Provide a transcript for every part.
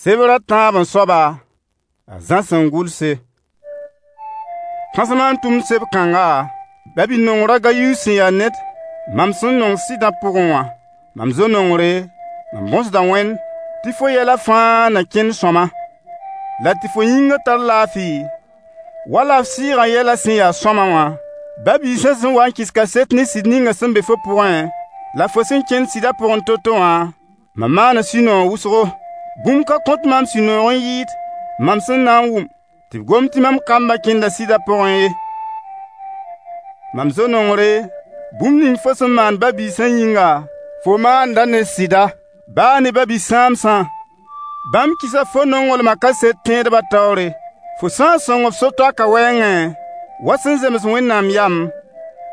Sebr a tãab-n-soaba, a Zã sẽn gʋlse. Kãsem n tʋmd seb-kãnga, ba-bi-nongr a Gayus sẽn ya ned mam sẽn nong sɩdã pʋgẽ wã. Mam zo-nongre, mam bõsda Wẽnd tɩ fo yɛla fãa na kẽnd sõama, la tɩ fo yĩngã tar laafɩ, wala f sɩɩgã yɛla sẽn ya sõama wã. Ba-biisã sẽn wa n kɩs kaset ne sɩd ninga sẽn be fo pʋgẽ, la fo sẽn kẽnd sɩdã pʋgẽ to-to wã, mam maana sũ-noog wʋsgo. Bũmb ka kõt maam sũ-noog n yɩɩd mam sẽn na n wʋm tɩ b gom tɩ mam kambã kẽnda sɩdã pʋgẽ ye. Mam zo-nongre, bũmb ning fo sẽn maand ba-biisã yĩnga, fo maanda ne sɩda, baa ne ba-bi-sãamsã. Bãmb kɩsa fo nonglmã kaset tẽedbã taoore. Fo sã n sõng f so-toaka wɛɛngẽ, wa sẽn zems Wẽnnaam yam,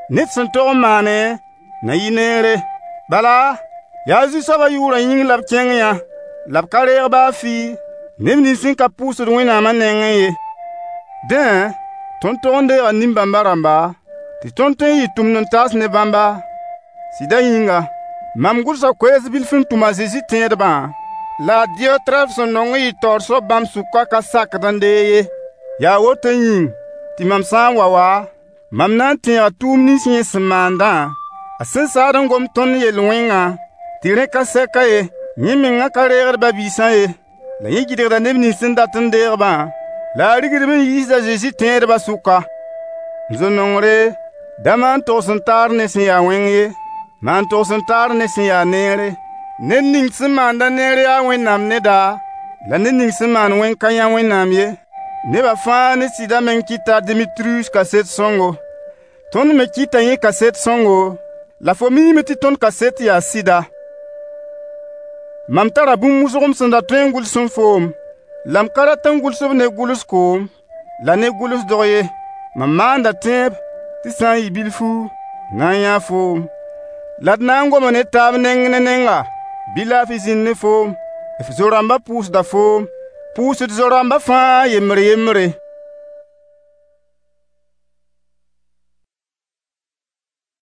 ned sẽn tog n maane na yɩ neere. Bala, yaa Zu-soabã yʋʋrã yĩng la b kẽng yã, la b ka reeg baa fɩ neb nins sẽn ka pʋʋsd Wẽnnaamã nengẽ ye. Dẽ, tõnd tog n deega nin-bãmba rãmba, tɩ tõnd tõe n yɩ tʋmd-n-taas ne bãmba, sɩdã yĩnga. Mam gʋlsa koees bilf n tʋm a Zezi tẽedbã, la a Diyɔtrɛf sẽn nong n yɩ taoor soab bãmb sʋka ka sakd n deeg ye. Yaa woto yĩng tɩ mam sã n wa wã, mam na n tẽega tʋʋm nins yẽ sẽn maandã, a sẽn saad n gom tõnd yel-wẽngã, tɩ rẽ ka sɛka ye. Yẽ mengã ka reegd ba-biisã ye, la yẽ gɩdgda neb nins sẽn dat n deeg-bã, la a rigdb n yiisd a Zezi tẽedbã sʋka. M zo-nongre, da maan togs-n-taar ne sẽn ya wẽng ye, maan togs-n-taar ne sẽn ya neere. Ned ning sẽn maand-a neer yaa Wẽnnaam neda, la ned ning sẽn maand wẽng ka yã Wẽnnaam ye. Neba fãa ne sɩdã meng kɩta a Demitriyus kaset sõngo. Tõnd me kɩta yẽ kaset sõngo, la fo miime tɩ tõnd kaset yaa sɩda. Mam tara bũmb wʋsg m sẽn da tõe n gʋls n foom, la m ka rat n gʋls-b ne gʋls-koom la ne gʋls-dog ye. Mam maanda tẽeb tɩ sã n yɩ bilfu, m na n yãa foom, la d na n goma ne taab neng ne nenga. Bɩ laafɩ zĩnd ne foom. F zo-rãmbã pʋʋsda foom. Pʋʋs d zo-rãmba fãa yembr-yembre.